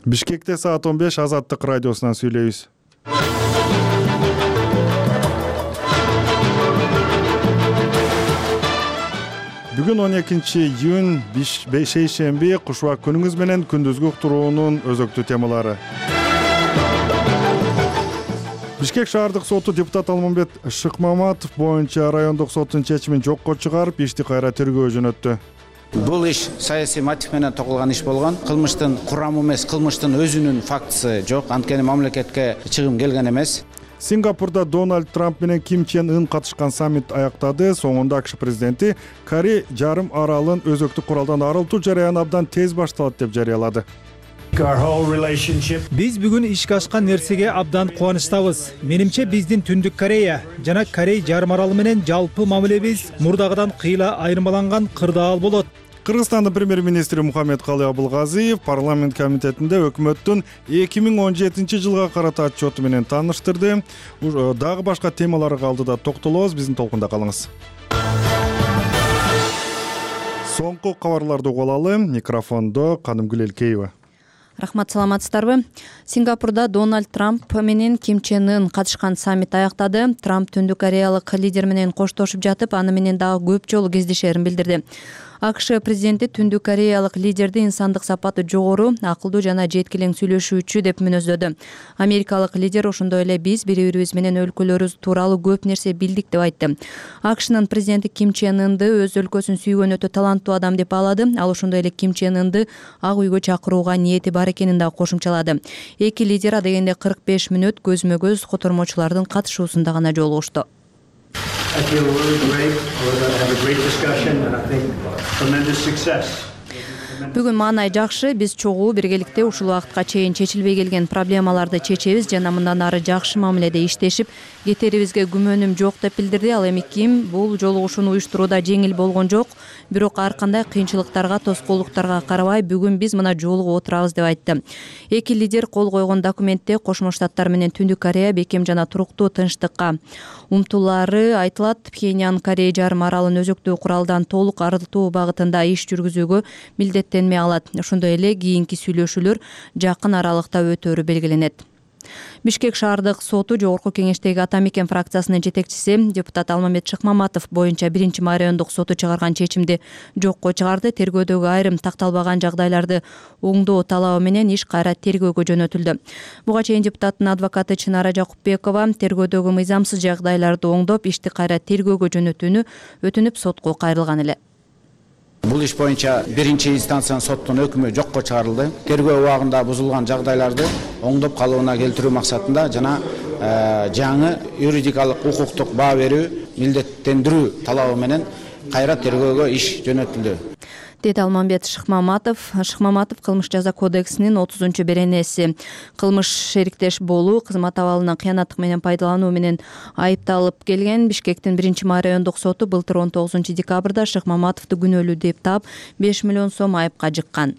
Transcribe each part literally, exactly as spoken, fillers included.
Бишкекте саат он беш Азаттык радиосунан сүйлөйбүз. Бүгүн он экинчи июнь шейшемби кушубак күнүңүз менен күндүзгү уктуруунун өзөктүү темалары. Бишкек шаардык соту депутат Алмамбет Шыкмаматов боюнча райондук соттун чечимин жокко чыгарып, ишти кайра тергөөгө жөнөттү. Бул иш саясий мотив менен тогулган иш болгон. Кылмыштын курамы эмес, кылмыштын өзүнүн фактысы жок. Анткени мамлекетке чыгым келген эмес. Сингапурда Дональд Трамп менен Ким Чен Ын катышкан саммит аяктады. Соңунда АКШ президенти Корей жарым аралын өзөктүк куралдан арылтуу жарыяны абдан тез башталат деп жарыялады. Биз бүгүн ишке ашкан нерсеге абдан кубанычтабыз. Менимче биздин Түндүк Корея жана Корей жарым аралы менен жалпы мамилебиз мурдагыдан кыйла айырмаланган кырдаал болот. Кыргызстандын премьер-министри Мухаммедкалый Абылгазиев парламент комитетинде өкмөттүн эки миң он жетинчи жылга карата отчету менен тааныштырды. Дагы башка темаларга алдыда токтолобуз, биздин толкунда калыңыз. Соңку кабарларды угуп алалы. Микрофондо Канымгүл Элкеева. Рахмат, саламатсыздарбы? Сингапурда Дональд Трамп менен Ким Чен Ын катышкан саммит аяктады. Трамп Түндүк Кореялык лидер менен коштошуп жатып, аны менен дагы көп жолу кездешерин билдирди. АКШ президенти Түндүк Кореялык лидерди инсандык сапаты жогору, акылдуу жана жеткилең сүйлөшүүчү деп мүнөздөдү. Америкалык лидер ошондой эле биз бири-бирибиз менен өлкөлөрүбүз тууралуу көп нерсе билдик деп айтты. АКШнын президенти Ким Чен Ынды өз өлкөсүн сүйгөн өтө таланттуу адам деп баалады. Ал ошондой эле Ким Чен Ынды Ак үйгө чакырууга ниети бар экенин да кошумчалады. Эки лидер адегенде кырк беш мүнөт көзмө-көз котормочулардын катышуусунда гана жолугушту. I feel really great. We're going to have a great discussion and I think tremendous success. Бүгүн маанай жакшы, биз чогуу биргеликте ушул убакытка чейин чечилбей келген проблемаларды чечебиз жана мындан ары жакшы мамиледе иштешип кетерибизге күмөнүм жок деп билдирди. Ал эми Ким бул жолугушууну уюштурууда жеңил болгон жок, бирок ар кандай кыйынчылыктарга, тоскоолдуктарга карабай бүгүн биз мына жолугуп отурабыз деп айтты. Эки лидер кол койгон документте Кошмо Штаттар менен Түндүк Корея бекем жана туруктуу тынчтыкка умтулаары айтылат. Пхеньян Корей жарым аралын өзөктүү куралдан толук арылтуу багытында иш жүргүзүүгө милдеттенме алат. Ошондой эле кийинки сүйлөшүүлөр жакын аралыкта өтөөрү белгиленет. Бишкек шаардык соту жогорку кеңештеги Ата Мекен фракциясынын жетекчиси депутат Алмамбет Шыкмаматов боюнча биринчи райондук соту чыгарган чечимди жокко чыгарды. Тергөөдөгү айрым такталбаган жагдайларды оңдоо талабы менен иш кайра тергөөгө жөнөтүлдү. Буга чейин депутаттын адвокаты Чынара Жакупбекова тергөөдөгү мыйзамсыз жагдайларды оңдоп, ишти кайра тергөөгө жөнөтүүнү өтүнүп сотко кайрылган эле. Бул иш боюнча биринчи инстанциянын соттун өкүмү жокко чыгарылды. Тергөө убагында бузулган жагдайларды оңдоп калыбына келтирүү максатында жана жаңы юридикалык укуктук баа берүү, милдеттендирүү талабы менен кайра тергөөгө иш жөнөтүлдү. Деди Алмамбет Шыкмаматов. Шыкмаматов кылмыш жаза кодексинин отузунчу беренеси кылмыш шериктеш болуу, кызмат абалынан кыянаттык менен пайдалануу менен айыпталып келген. Бишкектин биринчи райондук соту былтыр он тогузунчу декабрда Шыкмаматовду күнөөлүү деп таап беш миллион сом айыпка жыккан.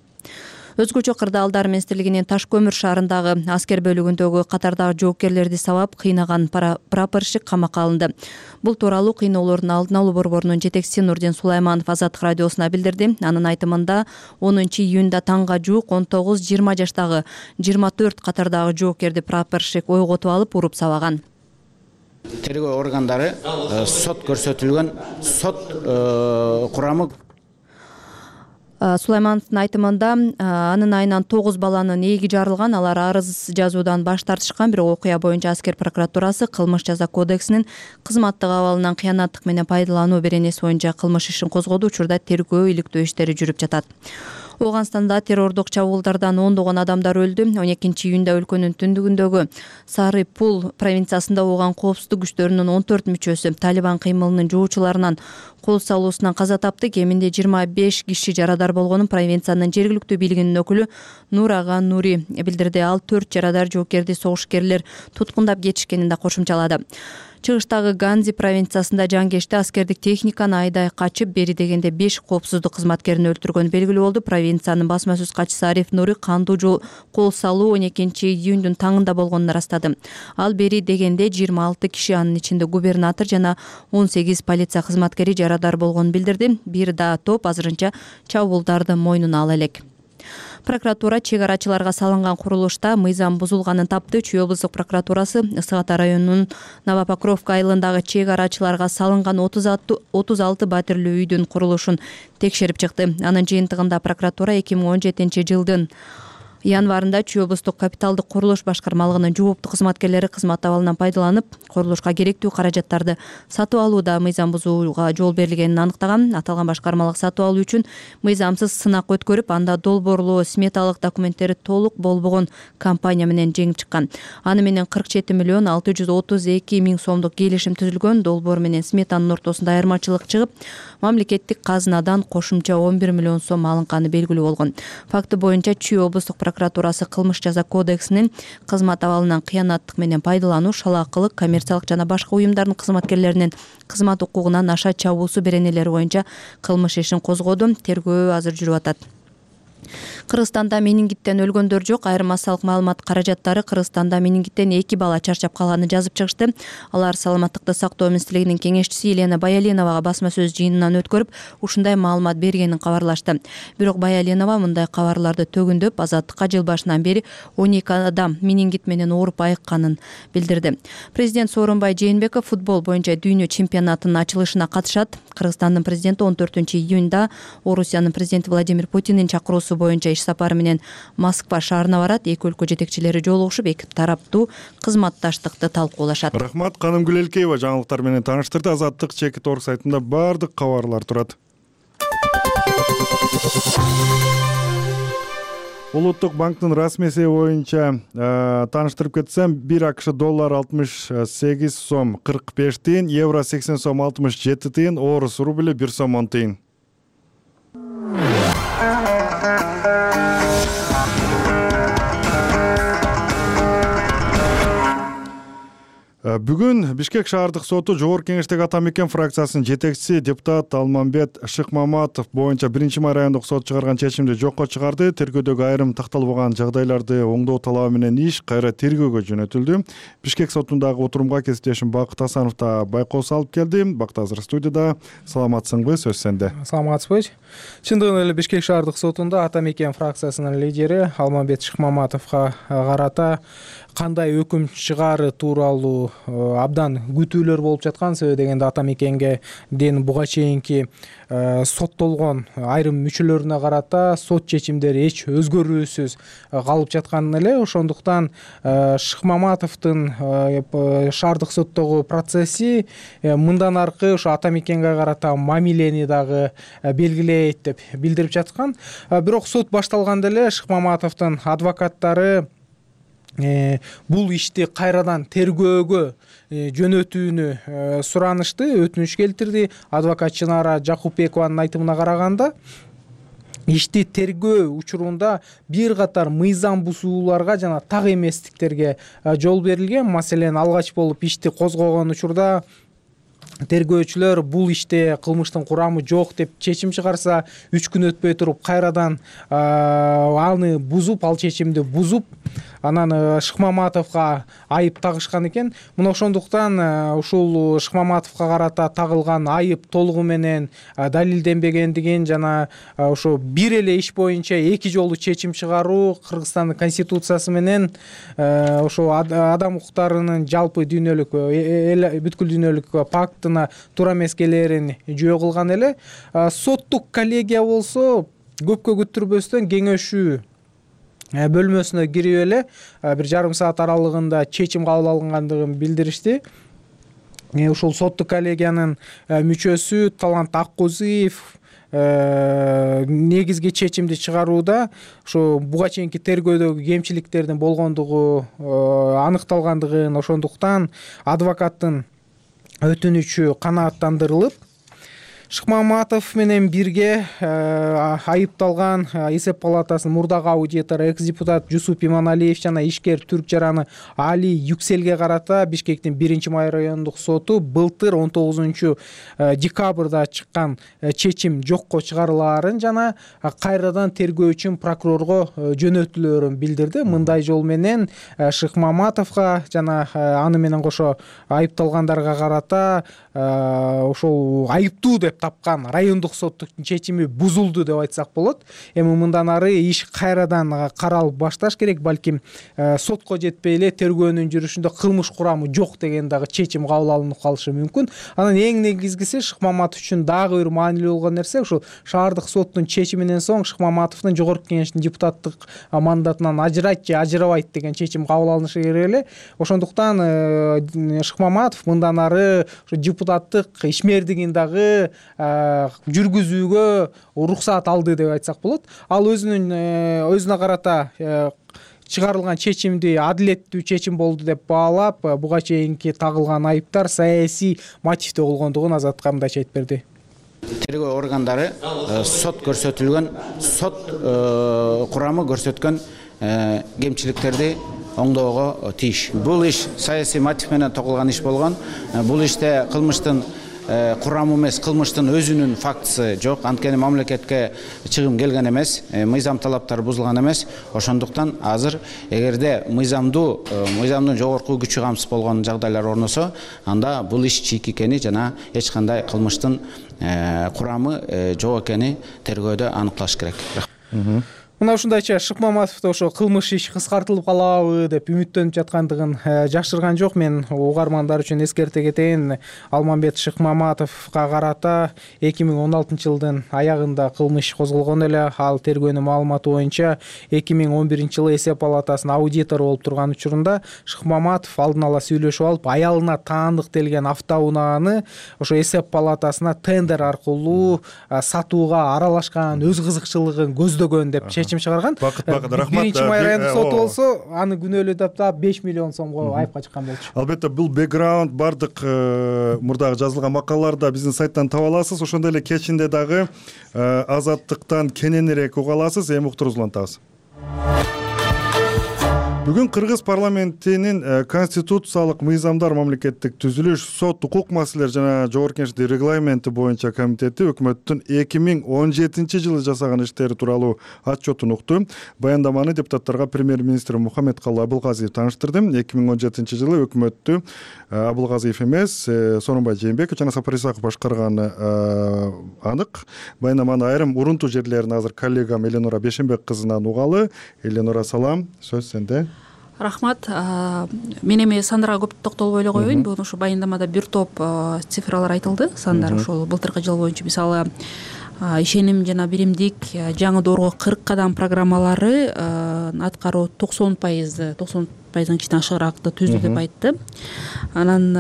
Өзгөчө кырдаалдар министрлигинин Таш көмүр шаарындагы аскер бөлүгүндөгү катардагы жоопкерлерди сабап кыйнаган прапорщик камакка алынды. Бул тууралуу кыйноолордун алдын алуу борборунун жетекчиси Нурдин Сулайманов Азаттык радиосуна билдирди. Анын айтымында онунчу июнда таңга жуук он тогуз жыйырма жаштагы жыйырма төрт катардагы жоопкерди прапорщик ойготуп алып уруп сабаган. Тергөө органдары сот көрсөтүлгөн сот курамы. Сулаймановдун айтымында анын айынан тогуз баланын ээги жарылган, алар арыз жазуудан баш тартышкан. Бирок окуя боюнча аскер прокуратурасы кылмыш жаза кодексинин кызматтык абалынан кыянаттык менен пайдалануу беренеси боюнча кылмыш ишин козгоду. Учурда тергөө иликтөө иштери жүрүп жатат. Ооганстанда террордук чабуулдардан ондогон адамдар өлдү. он экинчи июнда өлкөнүн түндүгүндөгү Сары Пул провинциясында ооган коопсуздук күчтөрүнүн он төрт мүчөсү Талибан кыймылынын жоочуларынан кол салуусунан каза тапты. Кеминде жыйырма беш киши жарадар болгонун провинциянын жергиликтүү бийлигинин өкүлү Нурага Нури билдирди. Ал төрт жарадар жоокерди согушкерлер туткундап кетишкенин да кошумчалады. Чыгыштагы Ганзи провинциясында жангешти аскердик техниканы айдай качып, бери дегенде беш коопсуздук кызматкерин өлтүргөн белгилүү болду. Провинциянын басма сөз катчысы Ариф Нури кандуу жол кол салуу он экинчи июндун таңында болгонун ырастады. Ал бери дегенде жыйырма алты киши, анын ичинде губернатор жана он сегиз полиция кызматкери жарадар болгонун билдирди. Бир да топ азырынча чабуулдарды мойнуна ала элек. Прокуратура чек арачыларга салынган курулушта мыйзам бузулганын тапты. Чүй облустук прокуратурасы Ысык Ата районунун Новопокровка айылындагы чек арачыларга салынган отуз алты батирлүү үйдүн курулушун текшерип чыкты. Анын жыйынтыгында прокуратура эки миң он жетинчи жылдын январында Чүй облустук капиталдык курулуш башкармалыгынын жооптуу кызматкерлери кызмат абалынан пайдаланып, курулушка керектүү каражаттарды сатып алууда мыйзам бузууга жол берилгенин аныктаган. Аталган башкармалык сатып алуу үчүн мыйзамсыз сынак өткөрүп, анда долбоорлуу сметалык документтери толук болбогон компания менен жеңип чыккан. Аны менен кырк жети миллион алты жүз отуз эки миң сомдук келишим түзүлгөн. Долбоор менен сметанын ортосунда айырмачылык чыгып, мамлекеттик казынадан кошумча он бир миллион сом алынканы белгилүү болгон. Факты боюнча Чүй облустук прокуратурасы кылмыш жаза кодексинин кызмат абалынан кыянаттык менен пайдалануу, шалаакылык, коммерциялык жана башка уюмдардын кызматкерлеринин кызмат укугунан аша чабуусу беренелери боюнча кылмыш ишин козгоду. Тергөө азыр жүрүп атат. Кыргызстанда менингиттен өлгөндөр жок. Айрым массалык маалымат каражаттары Кыргызстанда менингиттен эки бала чарчап калганын жазып чыгышты. Алар саламаттыкты сактоо министрлигинин кеңешчиси Елена Баяленовага басма сөз жыйынынан өткөрүп, ушундай маалымат бергенин кабарлашты. Бирок Баяленова мындай кабарларды төгүндөп, Азаттыкка жыл башынан бери он эки адам менингит менен ооруп айыкканын билдирди. Президент Сооронбай Жээнбеков футбол боюнча дүйнө чемпионатынын ачылышына катышат. Кыргызстандын президенти он төртүнчү июнда Орусиянын президенти Владимир Путиндин чакыруусу боюнча иш сапары менен Москва шаарына барат. Эки өлкө жетекчилери жолугушуп, эки тараптуу кызматташтыкты талкуулашат. Рахмат, Каным Гүлелкеева жаңылыктар менен тааныштырды. Азаттык чекит орг сайтында бардык кабарлар турат. Улуттук банктын расмий эсеби боюнча тааныштырып кетсем, бир АКШ доллар алтымыш сегиз сом кырк беш тыйын, евро сексен сом алтымыш жети тыйын, орус рубли бир сом он тыйын. Бүгүн Бишкек шаардык соту Жогорку Кеңештеги Ата Мекен фракциясынын жетекчиси депутат Алмамбет Шыкмаматов боюнча биринчи май райондук сот чыгарган чечимди жокко чыгарды. Тергөөдөгү айрым такталбаган жагдайларды оңдоо талабы менен иш кайра тергөөгө жөнөтүлдү. Бишкек сотундагы отурумга кесиптешим Бакыт Асанов да байкоо салып келди. Бакыт азыр студияда. Саламатсыңбы? Сөз сенде. Саламатсызбы? Чындыгында эле Бишкек шаардык сотунда Ата Мекен фракциясынын лидери Алмамбет Шыкмаматовго карата кандай өкүм чыгаары тууралуу абдан күтүүлөр болуп жаткан. Себеби дегенде Ата Мекенге ден буга чейинки соттолгон айрым мүчөлөрүнө карата сот чечимдери эч өзгөрүүсүз калып жаткан эле. Ошондуктан Шыкмаматовдун шаардык соттогу процесси мындан аркы ошо Ата Мекенге карата мамилени дагы белгилейт деп билдирип жаткан. Бирок сот башталганда эле Шыкмаматовдун адвокаттары бул ишти кайрадан тергөөгө жөнөтүүнү суранышты, өтүнүч келтирди. Адвокат Чынара Жакупбекованын айтымына караганда, ишти тергөө учурунда бир катар мыйзам бузууларга жана так эместиктерге жол берилген. Маселен, алгач болуп ишти козгогон учурда тергөөчүлөр бул иште кылмыштын курамы жок деп чечим чыгарса, үч күн өтпөй туруп кайрадан аны бузуп, ал чечимди бузуп, анан Шыкмаматовго айып тагышкан экен. Мына ошондуктан ушул Шыкмаматовго карата тагылган айып толугу менен далилденбегендигин жана ошо бир эле иш боюнча эки жолу чечим чыгаруу Кыргызстандын конституциясы менен ошо адам укуктарынын жалпы дүйнөлүк бүткүл дүйнөлүк пактына туура эмес келээрин жөө кылган эле. Соттук коллегия болсо көпкө күттүрбөстөн кеңешүү бөлмөсүнө кирип эле бир жарым саат аралыгында чечим кабыл алынгандыгын билдиришти. Ушул соттук коллегиянын мүчөсү Талант Аккузиев негизги чечимди чыгарууда ошо буга чейинки тергөөдөгү кемчиликтердин болгондугу аныкталгандыгын, ошондуктан адвокаттын өтүнүчү канааттандырылып, Шыкмаматов менен бирге айыпталган эсеп палатасынын мурдагы аудитору экс-депутат Жусуп Иманалиев жана ишкер Түрк жараны Али Юкселге карата Бишкектин биринчи май райондук соту былтыр он тогузунчу декабрда чыккан чечим жокко чыгарылаарын жана кайрадан тергөө үчүн прокурорго жөнөтүлөөрүн билдирди. Мындай жол менен Шыкмаматовго жана аны менен кошо айыпталгандарга карата ошол айыптуу деп деп тапкан райондук соттун чечими бузулду деп айтсак болот. Эми мындан ары иш кайрадан каралып башташ керек, балким сотко жетпей эле тергөөнүн жүрүшүндө кылмыш курамы жок деген дагы чечим кабыл алынып калышы мүмкүн. Анан эң негизгиси Шыкмаматов үчүн дагы бир маанилүү болгон нерсе ушул шаардык соттун чечиминен соң Шыкмаматовдун жогорку кеңештин депутаттык мандатынан ажырайт же ажырабайт деген чечим кабыл алынышы керек эле. Ошондуктан Шыкмаматов мындан ары депутаттык ишмердигин дагы жүргүзүүгө уруксаат алды деп айтсак болот. Ал өзүнүн өзүнө карата чыгарылган чечимди адилеттүү чечим болду деп баалап, буга чейинки тагылган айыптар саясий мотивде болгондугун Азатка мындайча айтып берди. Тергөө органдары сот көрсөтүлгөн, сот курамы көрсөткөн кемчиликтерди оңдоого тийиш. Бул иш саясий мотив менен тогулган иш болгон. Бул иште кылмыштын курамы эмес, кылмыштын өзүнүн фактысы жок. Анткени мамлекетке чыгым келген эмес, мыйзам талаптары бузулган эмес. Ошондуктан азыр эгерде мыйзамдуу, мыйзамдын жогорку күчү камсыз болгон жагдайлар орносо, анда бул иш чийик экени жана эч кандай кылмыштын курамы жок экени тергөөдө аныкталыш керек. Мына ушундайча Шыкмаматовдо ошо кылмыш иш кыскартылып калабы деп үмүттөнүп жаткандыгын жашырган жок. Мен угармандар үчүн эскерте кетейин. Алмамбет Шыкмаматовго карата эки миң он алтынчы жылдын аягында кылмыш козголгон эле. Ал тергөөнүн маалыматы боюнча эки миң он биринчи жылы эсеп палатасынын аудитору болуп турган учурунда Шыкмаматов алдын ала сүйлөшүп алып, аялына таандыктелген автоунааны ошо эсеп палатасына тендер аркылуу сатууга аралашкан, өз кызыкчылыгын көздөгөн деп чечим чыгарган. Бакыт бакыт рахмат. Биринчи май райондук соту болсо, аны күнөөлөп таап беш миллион сомго айыпка чыккан болчу. Албетте бул бэкграунд бардык мурдагы жазылган макалаларда биздин сайттан таба аласыз. Ошондой эле кечинде дагы Азаттыктан кененирээк уга аласыз. Эми уктуруңузду улантабыз. Бүгүн Кыргыз парламентинин конституциялык мыйзамдар мамлекеттик түзүлүш, сот, укук маселелери жана жогорку кеңештин регламенти боюнча комитети өкмөттүн эки миң он жетинчи жылы жасаган иштери тууралуу отчетун укту. Баяндаманы депутаттарга премьер-министр Мухаммедкалый Абылгазиев тааныштырды. эки миң он жетинчи жылы өкмөттү Абылгазиев эмес, Сооронбай Жээнбеков жана Сапар Исаков башкарганы анык. Баяндаманын айрым урунтуу жерлерин азыр коллегам Эленора Бешенбек кызынан угалы. Эленора, салам, сөз сенде. Рахмат. Мен эми сандарга көп токтолбой эле коеюн. Бүгүн ушу баяндамада бир топ цифралар айтылды. Сандар ошол былтыркы жыл боюнча мисалы ишеним жана биримдик жаңы доорго кырк кадам программалары аткаруу токсон пайыз токсон пайыздын ичинен ашыгыраакты түздү деп айтты. Анан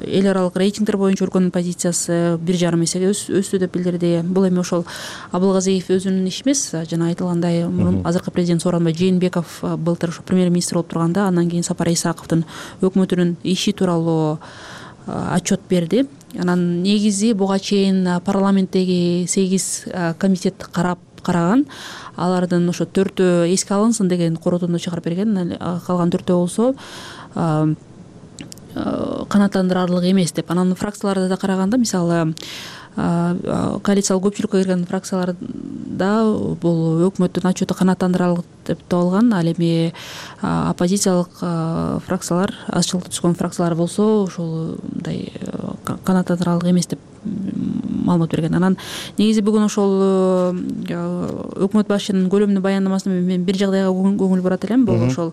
эл аралык рейтингдер боюнча өлкөнүн позициясы бир жарым эсеге өстү деп билдирди. Бул эми ошол Абылгазиев өзүнүн иши эмес, жана айтылгандай мурун азыркы президент Сооронбай Жээнбеков былтыр ошо премьер-министр болуп турганда, андан кийин Сапар Исаковдун өкмөтүнүн иши тууралуу отчет берди. Анан негизи буга чейин парламенттеги сегиз комитет карап караган. Алардын ошо төртөө эске алынсын деген коротунду чыгарып берген. Калган төртөө болсо канааттандырарлык эмес деп. Анан фракцияларда да караганда, мисалы коалициялык көпчүлүккө кирген фракцияларда бул өкмөттүн отчету канааттандырарлык деп табылган. Ал эми оппозициялык фракциялар, азчылыкта түзгөн фракциялар болсо ошол мындай канааттандырарлык эмес деп маалымат берген. Анан негизи бүгүн ошол өкмөт башчынын көлөмдүү баяндамасында мен бир жагдайга көңүл бурат элем. Бул ошол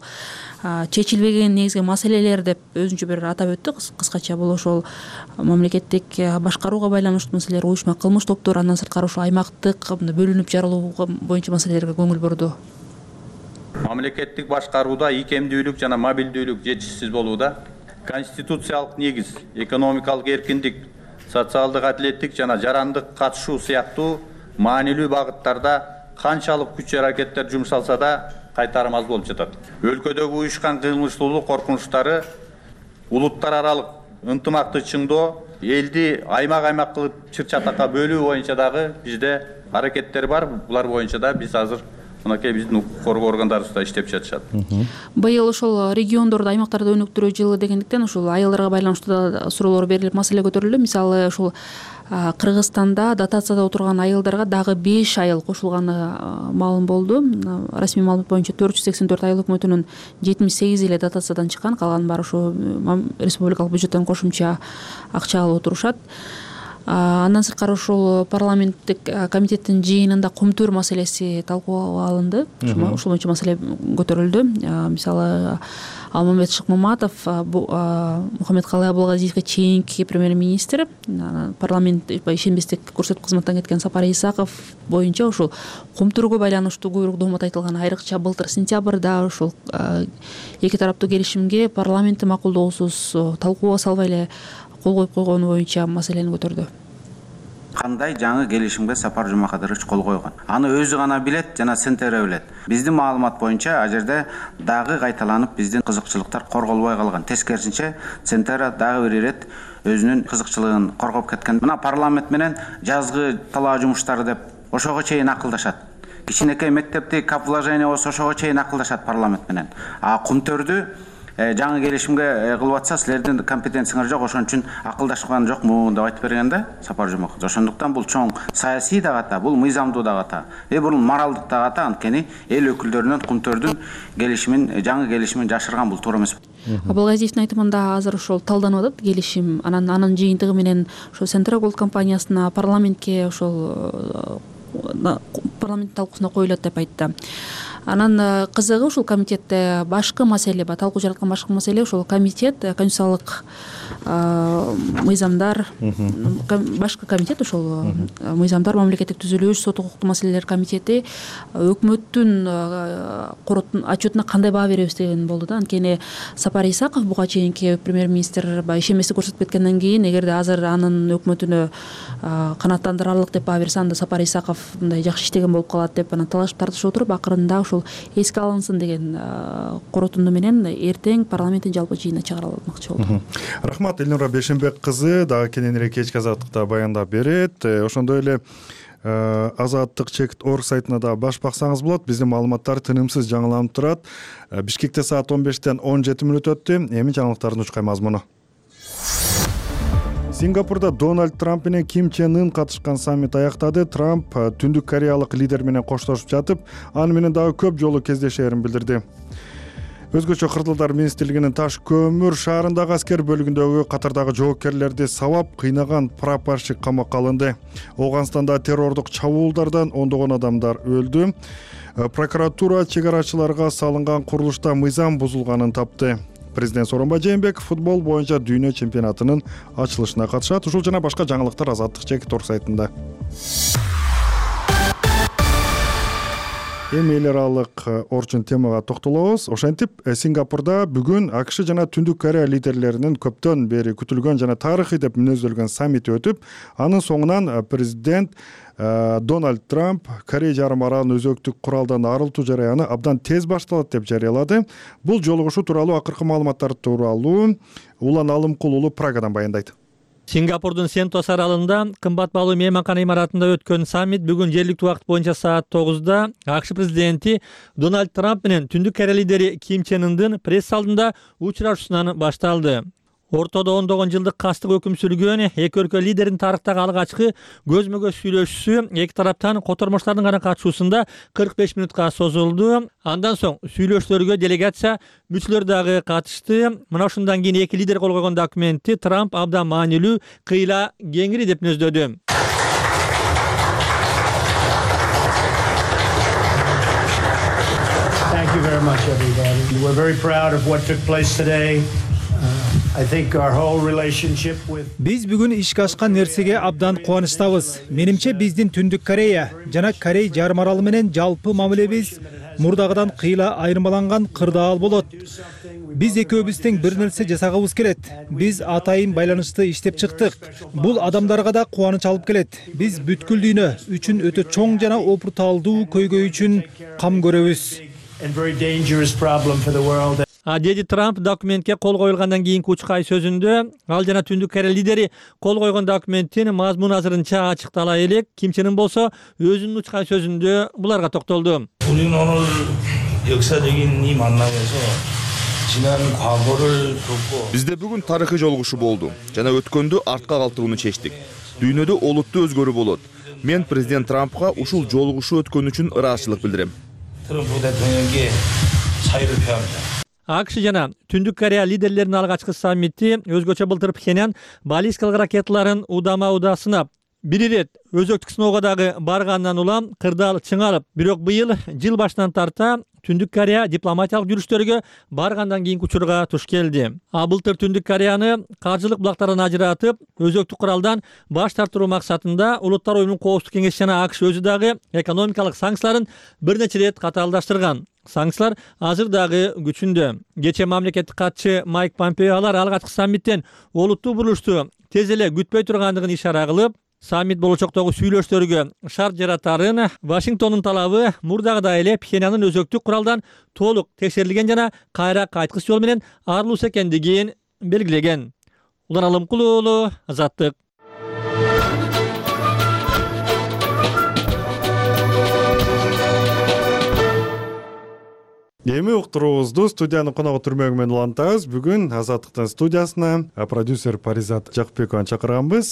чечилбеген негизги маселелер деп өзүнчө бир атап өттү кыскача. Бул ошол мамлекеттик башкарууга байланыштуу маселелер, уюшма кылмыш топтору, андан сырткары ошо аймактык бөлүнүп жарылуу боюнча маселелерге көңүл бурду. Мамлекеттик башкарууда ийкемдүүлүк жана мобилдүүлүк жетишсиз болууда. Конституциялык негиз, экономикалык эркиндик, социалдык адилеттик жана жарандык катышуу сыяктуу маанилүү багыттарда канчалык күч аракеттер жумшалса да кайтарым аз болуп жатат. Өлкөдөгү уюшкан кылмыштуулук коркунучтары, улуттар аралык ынтымакты чыңдоо, элди аймак-аймак кылып чыр-чатакка бөлүү боюнча дагы бизде аракеттер бар. Булар боюнча да биз азыр мынакей биздин укук коргоо органдарыбыз да иштеп жатышат. Быйыл ошол региондордо, аймактарда өнүктүрүү жылы дегендиктен ошол айылдарга байланыштуу суроолор берилип, маселе көтөрүлдү. Мисалы ошол Кыргызстанда дотацияда отурган айылдарга дагы беш айыл кошулганы маалым болду. Расмий маалымат боюнча төрт жүз сексен төрт айыл өкмөтүнүн жетимиш сегизи эле дотациядан чыккан, калган баары ошо республикалык бюджеттен кошумча акча алып отурушат. Андан сырткары ушул парламенттик комитеттин жыйынында кумтөр маселеси талкууга алынды. Ушул боюнча маселе көтөрүлдү. Мисалы Алмамбет Шыкмаматов Мухаммедкалый Абылгазиевге чейинки премьер-министр, парламент ишенбестик көрсөтүп кызматтан кеткен Сапар Исаков боюнча ушул кумтөргө байланыштуу көбүрөөк доомот айтылган. Айрыкча былтыр сентябрда ушул эки тараптуу келишимге парламенттин макулдоосуз талкууга салбай эле кол коюп койгону боюнча маселени көтөрдү. Кандай жаңы келишимге Сапар Жумакадырович кол койгон? Аны өзү гана билет жана Сентера билет. Биздин маалымат боюнча а жерде дагы кайталанып биздин кызыкчылыктар корголбой калган. Тескерисинче Сентера дагы бир ирет өзүнүн кызыкчылыгын коргоп кеткен. Мына парламент менен жазгы талаа жумуштары деп ошого чейин акылдашат. Кичинекей мектепти кап вложение болсо ошого чейин акылдашат парламент менен. А кумтөрдү жаңы келишимге кылып атса силердин компетенцияңар жок, ошон үчүн акылдашкан жокму деп айтып берген да Сапар Жумаков. Ошондуктан бул чоң саясий дагы, бул мыйзамдуу дагы, э бул моралдык дагы, анткени эл өкүлдөрүнөн кумтөрдүн келишимин, жаңы келишимин жашырган бул туура эмес. Абылгазиевдин айтымында азыр ошол талданып атат келишим. Анан анын жыйынтыгы менен ошо Центра Голд компаниясына, парламентке ошол парламент талкуусуна коюлат деп айтты. Анан кызыгы ушул комитетте башкы маселе бар, талкуу жараткан башкы маселе ушул комитет, конституциялык мыйзамдар, башкы комитет ушул мыйзамдар, мамлекеттик түзүлүш, сот укуктуу маселелер комитети өкмөттүн короттун отчетуна кандай баа беребиз деген болду да. Анткени Сапар Исаков буга чейинки премьер-министр ишенбестик көрсөтүп кеткенден кийин, эгерде азыр анын өкмөтүнө канааттандырарлык деп баа берсе, анда Сапар Исаков мындай жакшы иштеген болуп калат деп анан талашып тартышып отуруп, акырында ушул эске алынсын деген коротунду менен эртең парламенттин жалпы жыйынына чыгарылмакчы болду. Рахмат, Элнура Бешенбек кызы дагы кененирээк кечки азаттыкта баяндап берет. Ошондой эле азаттык чек орг сайтына да баш баксаңыз болот. Биздин маалыматтар тынымсыз жаңыланып турат. Бишкекте саат он бештен он жети мүнөт өттү. Эми жаңылыктардын учкай мазмуну. Сингапурда Дональд Трамп менен Ким Чен Ын катышкан саммит аяктады. Трамп Түндүк Кореялык лидер менен коштошуп жатып, аны менен дагы көп жолу кездешерин билдирди. Өзгөчө Кырдалдар министрлигинин Таш көмүр шаарындагы аскер бөлүгүндөгү катардагы жоопкерлерди сабап кыйнаган прапорщик камакка алынды. Ооганстанда террордук чабуулдардан ондогон адамдар өлдү. Прокуратура чек арачыларга салынган курулушта мыйзам бузулганын тапты. Президент Сооронбай Жээнбеков футбол боюнча дүйнө чемпионатынын ачылышына катышат. Ушул жана башка жаңылыктар азаттык чек орг сайтында. Эми эл аралык орчун темага токтолобуз. Ошентип, Сингапурда бүгүн АКШ жана Түндүк Корея лидерлеринин көптөн бери күтүлгөн жана тарыхый деп мүнөздөлгөн саммити өтүп, анын соңунан президент Дональд Трамп Корея жарым аралын өзөктүк куралдан арылтуу жараяны абдан тез башталат деп жарыялады. Бул жолугушуу тууралуу акыркы маалыматтар тууралуу Улан Алымкул уулу Прагадан баяндайт. Сингапурдун Сентос аралында кымбат баалуу мейманкана имаратында өткөн саммит бүгүн жергиликтүү убакыт боюнча саат тогузда АКШ президенти Дональд Трамп менен Түндүк Корея лидери Ким Чен Ындын пресс залында учурашуусунан башталды. Ортодо ондогон жылдык кастык өкүм сүргөн эки өлкө лидеринин тарыхтагы алгачкы көзмө көз сүйлөшүүсү эки тараптан котормоштардын гана катышуусунда кырк беш мүнөткө созулду. Андан соң сүйлөшүүлөргө делегация мүчөлөр дагы катышты. Мына ушундан кийин эки лидер кол койгон документти Трамп абдан маанилүү, кыйла кеңири деп мүнөздөдү. Thank you very much, everybody. We're very proud of what took place today. Биз бүгүн ишке ашкан нерсеге абдан кубанычтабыз. Менимче биздин Түндүк Корея жана Корей жарым аралы менен жалпы мамилебиз мурдагыдан кыйла айырмаланган кырдаал болот. Биз экөөбүз тең бир нерсе жасагыбыз келет. Биз атайын байланышты иштеп чыктык. Бул адамдарга да кубаныч алып келет. Биз бүткүл дүйнө үчүн өтө чоң жана опурталдуу көйгөй үчүн кам көрөбүз. А деди Трамп документке кол коюлгандан кийинки учкай сөзүндө. Ал жана Түндүк Корея лидери кол койгон документтин мазмуну азырынча ачыктала элек. Ким Чен Ын болсо өзүнүн учкай сөзүндө буларга токтолду. Бизде бүгүн тарыхый жолугушуу болду жана өткөндү артка калтырууну чечтик. Дүйнөдө олуттуу өзгөрүү болот. Мен президент Трампка ушул жолугушуу өткөн үчүн ыраазычылык билдирем. АКШ жана Түндүк Корея лидерлеринин алгачкы саммити өзгөчө былтыр Пхеньян баллистикалык ракеталарын удама-уда сынап, бир ирет өзөктүк сыноого дагы баргандан улам кырдаал чыңалып, бирок быйыл жыл башынан тарта Түндүк Корея дипломатиялык жүрүштөргө баргандан кийинки учурга туш келди. А былтыр Түндүк Кореяны каржылык булактардан ажыратып, өзөктүк куралдан баш тартыруу максатында Улуттар уюмунун Коопсуздук кеңеши жана АКШ өзү дагы экономикалык санкцияларын бир нече ирет катаалдаштырган. Санкциялар азыр дагы күчүндө. Кечээ мамлекеттик катчы Майк Помпео алар алгачкы саммиттен олуттуу бурулушту тез эле күтпөй тургандыгын ишара кылып, саммит болочоктогу сүйлөштөргө шарт жаратарын, Вашингтондун талабы мурдагыдай эле Пхеньяндын өзөктүк куралдан толук текшерилген жана кайра кайткыс жол менен арылуусу экендигин белгилеген. Улан Алымкул уулу, Азаттык. Эми уктуруубузду студиянын коногу түрмөгү менен улантабыз. Бүгүн Азаттыктын студиясына продюсер Паризат Жакпекованы чакырганбыз.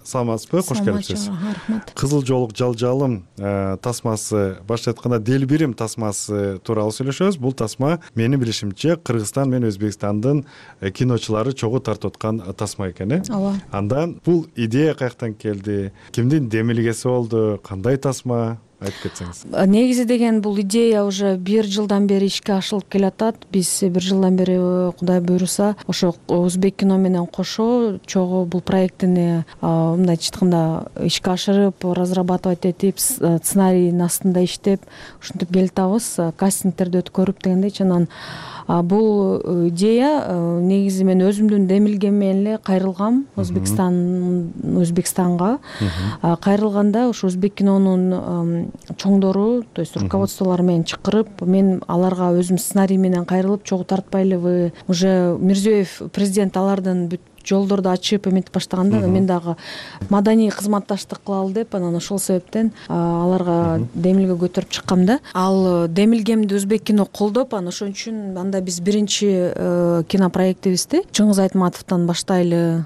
Саламатсызбы? Кош келипсиз. Рахмат. Кызыл жоолук жалжалым тасмасы, башка айтканда Делбирим тасмасы тууралуу сүйлөшөбүз. Бул тасма менин билишимче Кыргызстан менен Өзбекстандын киночулары чогуу тартып аткан тасма экен, э? Ооба. Анда бул идея каяктан келди? Кимдин демилгеси болду? Кандай тасма? Айтып кетсеңиз. Негизи деген бул идея уже бир жылдан бери ишке ашырылып келатат. Биз бир жылдан бери Кудай буйруса ошо Өзбек кино менен кошо чогуу бул проектини мындайча айтканда ишке ашырып, разрабатывать этип, сценарийдин астында иштеп, ушинтип келатабыз. Кастингтерди өткөрүп дегендейчи. Анан бул идея негизи мен өзүмдүн демилгем менен эле кайрылгам Өзбекстан Өзбекстанга. Кайрылганда ошо Өзбек кинонун чоңдору, то есть руководстволору менен чакырып, мен аларга өзүм сценарий менен кайрылып, чогуу тартпайлыбы, уже Мирзиёев президент алардын бүт жолдорду ачып эметип баштаганда мен дагы маданий кызматташтык кылалы деп, анан ошол себептен аларга демилге көтөрүп чыккам да. Ал демилгемди Өзбек кино колдоп, анан ошон үчүн анда биз биринчи кинопроектибизди Чыңгыз Айтматовдон баштайлы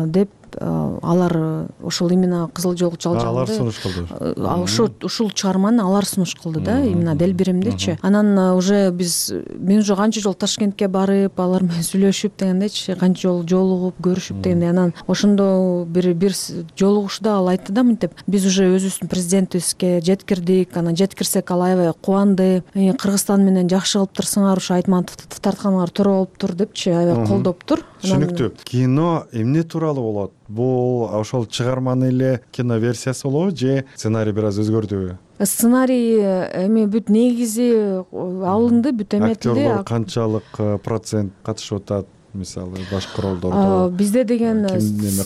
деп алар ошол именно Кызыл жоолук жалжалды. Алар сунуш кылды. Ошо ушул чыгарманы алар сунуш кылды да, именно Делбиримдичи. Анан уже биз мен уже канча жолу Ташкентке барып, алар менен сүйлөшүп дегендейчи, канча жолу жолугуп, көрүшүп дегендей. Анан ошондо бир бир жолугушда ал айтты да, мынтип, биз уже өзүбүздүн президентибизге жеткирдик, анан жеткирсек ал аябай кубанды. Кыргызстан менен жакшы кылыптырсыңар, ушу Айтматовду тартканыңар туура болуптур депчи, аябай колдоптур. Түшүнүктүү. Кино эмне тууралуу болот? Бул ошол чыгарманын эле кино версиясы болобу же сценарий бир аз өзгөрдүбү? Сценарий эми бүт негизи алынды, бүт эметилди. Актерлор канчалык процент катышып атат? Мисалы башкы ролдордо бизде деген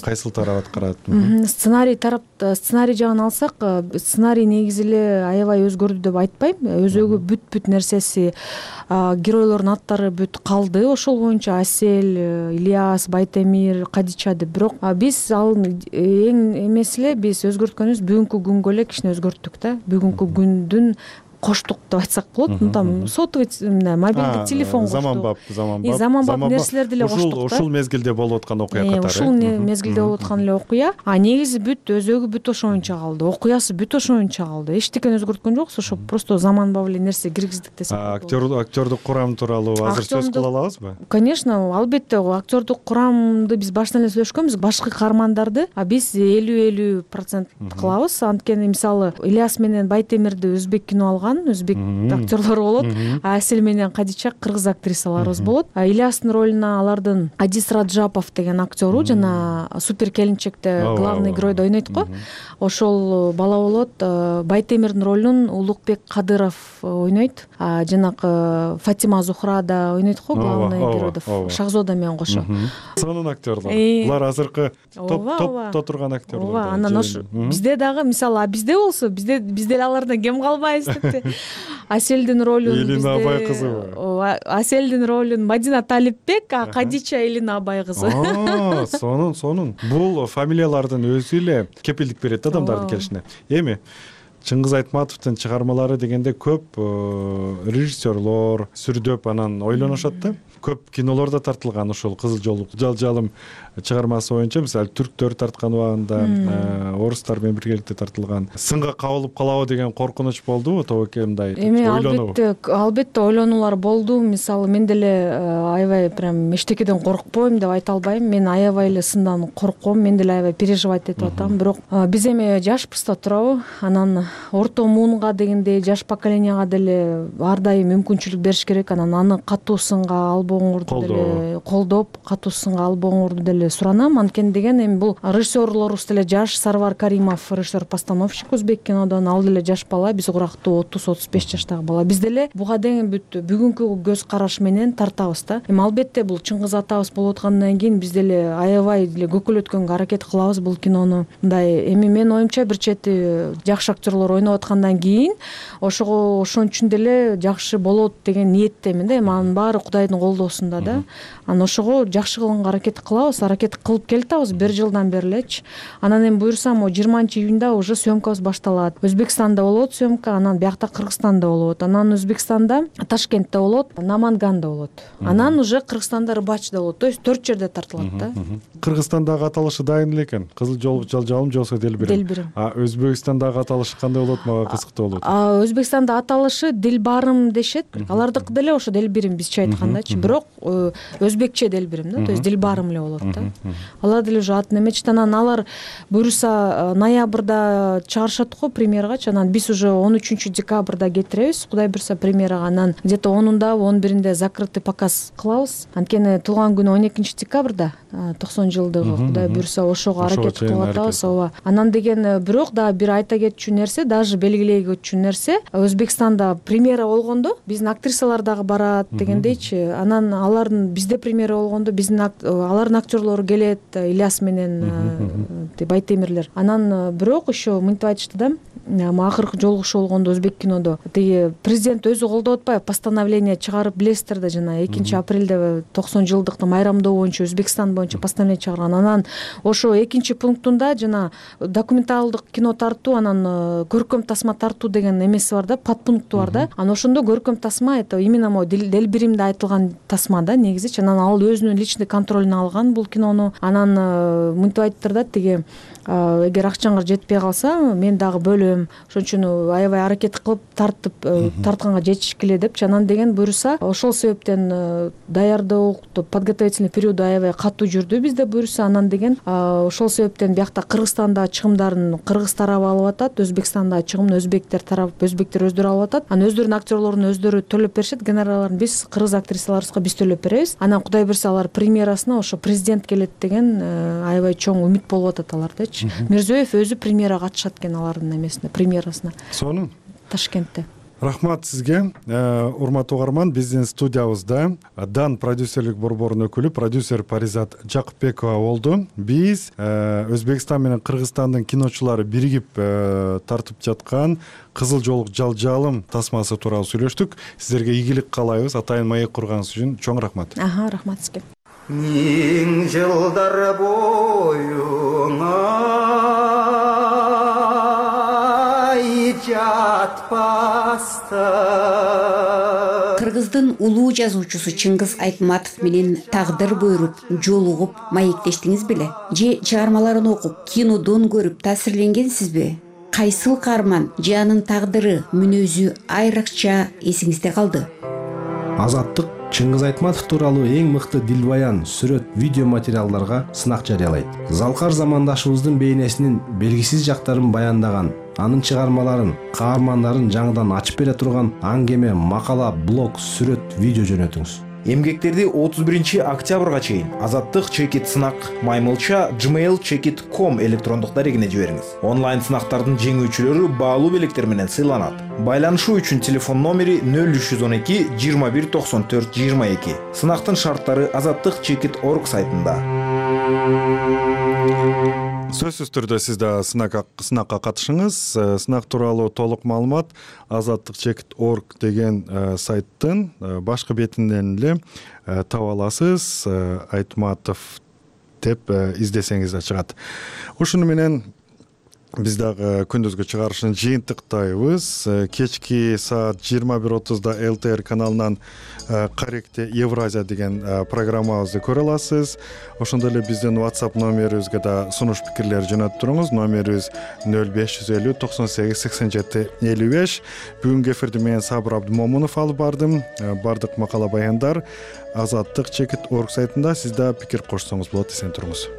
кайсыл тарап аткарат? Сценарий тарап, сценарий жагын алсак, сценарий негизи эле аябай өзгөрдү деп айтпайм. Өзөгү бүт бүт нерсеси, геройлордун аттары бүт калды. Ошол боюнча Асель, Ильяс, Байтемир, Кадича деп. Бирок биз ал эң эмес эле биз өзгөрткөнүбүз бүгүнкү күнгө эле кичине өзгөрттүк да. Бүгүнкү күндүн коштук деп айтсак болот. Там сотовый мобилдик телефон коштук. Заманбап, заманбап. Заманбап нерселерди эле коштук да. Ушул мезгилде болуп аткан окуя катары. Ушул мезгилде болуп аткан эле окуя. А негизи бүт өзөгү бүт ошоюнча калды. Окуясы бүт ошоюнча калды. Эчтекени өзгөрткөн жокпуз. Ошо просто заманбап эле нерсе киргиздик десек. Актер актерлук курам тууралуу азыр сөз кыла алабызбы? Конечно, албетте актерлук курамды биз баштан эле сүйлөшкөнбүз. Башкы каармандарды биз элүү элүү процент кылабыз. Анткени мисалы Ильяс менен Байтемирди өзбек кино алган, өзбек актерлору болот. Асель менен Кадича кыргыз актрисаларыбыз болот. Ильястын ролуна алардын Адис Раджапов деген актеру жана Супер келинчекте главный геройду ойнойт го. Ошол бала болот. Байтемирдин ролун Улукбек Кадыров ойнойт. Жанагы Фатима Зухра да ойнойт го, главный геройду Шахзода менен кошо. Сонун актерлор. Булар азыркы топто турган актерлор. Ооба, анан ошо бизде дагы мисалы бизде болсо, бизде биз деле алардан кем калбайбыз депти. Аселдин ролун Элина Абай кызыбы. Аселдин ролун Мадина Талипбек, а Кадича Элина Абай кызы. Сонун, сонун. Бул фамилиялардын өзү эле кепилдик берет адамдардын келишине. Эми Чыңгыз Айтматовдун чыгармалары дегенде көп режиссерлор сүрдөп анан ойлонушат да. Көп кинолор да тартылган ошол Кызыл жолук жалжалым чыгармасы боюнча, мисалы түрктөр тарткан убагында, орустар менен биргеликте тартылган. Сынга кабылып калабы деген коркунуч болдубу тобоке мындай ойлонуу? Албетте, албетте ойлонуулар болду. Мисалы мен деле аябай прям эчтекеден коркпойм деп айта албайм. Мен аябай эле сындан корком, мен деле аябай переживать этип атам. Бирок биз эми жашпыз да туурабы? Анан орто муунга дегендей жаш поколенияга деле ар дайым мүмкүнчүлүк бериш керек. Анан аны катуу сынга албооңорду деле колдоп, катуу сынга албооңорду деле суранам. Анткени деген эми бул режиссерлорубуз деле жаш. Сарвар Каримов режиссер-постановщик өзбек кинодон, ал деле жаш бала, биз урактуу отуз отуз беш жаштагы бала. Биз деле буга дейин бүт бүгүнкү көз караш менен тартабыз да. Эми албетте бул Чыңгыз атабыз болуп аткандан кийин биз деле аябай деле көкөлөткөнгө аракет кылабыз бул кинону. Мындай эми менин оюмча бир чети жакшы актерлор ойноп аткандан кийин ошого ошон үчүн деле жакшы болот деген ниеттемин да. Эми анын баары Кудайдын колдоосунда да. Анан ошого жакшы кылганга аракет кылабыз, аракет кылып келатабыз бир жылдан бери элечи. Анан эми буюрса могу жыйырманчы июнда уже съемкабыз башталат. Өзбекстанда болот съемка, анан биякта Кыргызстанда болот. Анан Өзбекстанда Ташкентте болот, Наманганда болот. Анан уже Кыргызстанда Рыбачыда болот. То есть төрт жерде тартылат да. Кыргызстандагы аталышы дайын эле экен. Кызыл жолук жалжалым же болбосо Делбирим. Делбирим. А Өзбекстандагы аталышы кандай болот? Мага кызыктуу болот. А Өзбекстанда аталышы Дилбарым дешет. Алардыкы деле ошо Делбирим бизче айткандачы. Бирок өзбекче Делбирим да. То есть Дилбарым эле болот да. Алар деле уже атын эметишет. Анан алар буюрса ноябрда чыгарышат го премьерагачы. Анан биз уже он үчүнчү декабрда кетиребиз. Кудай буюрса премьерага. Анан где-то онунда он биринде закрытый показ кылабыз. Анткени туулган күнү он экинчи декабрда токсон жылдыгы. Кудай буюрса ошого аракет кылып атабыз. Ооба. Анан деген бирок дагы бир айта кетчү нерсе, даже белгилей кетчү нерсе, Өзбекстанда премьера болгондо биздин актрисалар дагы барат дегендейчи. Анан алардын бизде премьера болгондо биздин алардын актерлору келет, Ильяс менен Байтемирлер. Анан бирок еще мынтип айтышты да, акыркы жолугушуу болгондо өзбек кинодо тиги президент өзү колдоп атпайбы, постановление чыгарып билесиздер да, жана экинчи апрелде токсон жылдыкты майрамдоо боюнча Өзбекстан боюнча постановление чыгарган. Анан ошо экинчи пунктунда жана документалдык кино тартуу, анан көркөм тасма тартуу деген эмеси бар да, подпункту бар да. Анан ошондо көркөм тасма это именно могу Делбиримде айтылган тасма да негизичи. Анан ал өзүнүн личный контролуна алган бул кинону. Анан мынтип айтыптыр да, тиги эгер акчаңар жетпей калса мен дагы бөлөм, ошон үчүн аябай аракет кылып тартып тартканга жетишкиле депчи. Анан деген буюрса ошол себептен даярдоо подготовительный периоду аябай катуу жүрдү бизде буюрса. Анан деген ошол себептен биякта Кыргызстанда чыгымдарын кыргыз тарабы алып атат, Өзбекстанда чыгымын өзбектер тарап, өзбектер өздөрү алып атат. Анан өздөрүнүн актерлорун өздөрү төлөп беришет, гонорарларын биз кыргыз актрисаларыбызга биз төлөп беребиз. Анан Кудай буюрса алар премьерасына ошо президент келет деген аябай чоң үмүт болуп атат алардачы. Мирзиёев өзү премьерага катышат экен алардын эмесине, премьерасына. Сонун. Ташкентте. Рахмат сизге. Урматтуу угарман, биздин студиябызда Дан продюсерлик борборунун өкүлү продюсер Паризат Жакыпбекова болду. Биз Өзбекстан менен Кыргызстандын киночулары биригип тартып жаткан Кызыл жолук жалжалым тасмасы тууралуу сүйлөштүк. Сиздерге ийгилик каалайбыз. Атайын маек курганыңыз үчүн чоң рахмат. Аха, рахмат сизге. Миң жылдар бойуңа жатпаста. Кыргыздын улуу жазуучусу Чыңгыз Айтматов менен тагдыр буйруп, жолугуп маектештиңиз беле? Же чыгармаларын окуп, кинодон көрүп таасирленгенсизби? Кайсыл каарман же анын тагдыры, мүнөзү айрыкча эсиңизде калды? Азаттык Чыңгыз Айтматов тууралуу эң мыкты дилбаян, сүрөт, видео материалдарга сынак жарыялайт. Залкар замандашыбыздын бейнесинин белгисиз жактарын баяндаган, анын чыгармаларын, каармандарын жаңыдан ачып бере турган аңгеме, макала, блог, сүрөт, видео жөнөтүңүз. Эмгектерди отуз биринчи октябрга чейин Азаттык чекит сынак маймылча gmail чекит точка ком электрондук дарегине жибериңиз. Онлайн сынактардын жеңүүчүлөрү баалуу белектер менен сыйланат. Байланышуу үчүн телефон номери нөл үч жүз он эки жыйырма бир токсон төрт жыйырма эки. Сынактын шарттары азаттык чекит точка орг сайтында. Сөзсүз түрдө сиз да сынакка катышыңыз. Сынак тууралуу толук маалымат азаттык чекит точка орг деген сайттын башкы бетинен эле таба аласыз. Айтматов деп издесеңиз да чыгат. Ушуну менен биз дагы күндүзгү чыгарышын жыйынтыктайбыз. Кечки саат жыйырма бир отузда эл тэ эр каналынан Корректе Евразия деген программабызды көрө аласыз. Ошондой эле биздин WhatsApp номерибизге да сунуш пикирлер жөнөтүп туруңуз. Номерибиз нөл беш жүз элүү токсон сегиз сексен жети элүү беш. Бүгүнкү эфирди мен Сабыр Абдымомунов алып бардым. Бардык макала баяндар азаттык чекит орг сайтында. Сиз да пикир кошсоңуз болот. Эсен туруңуз.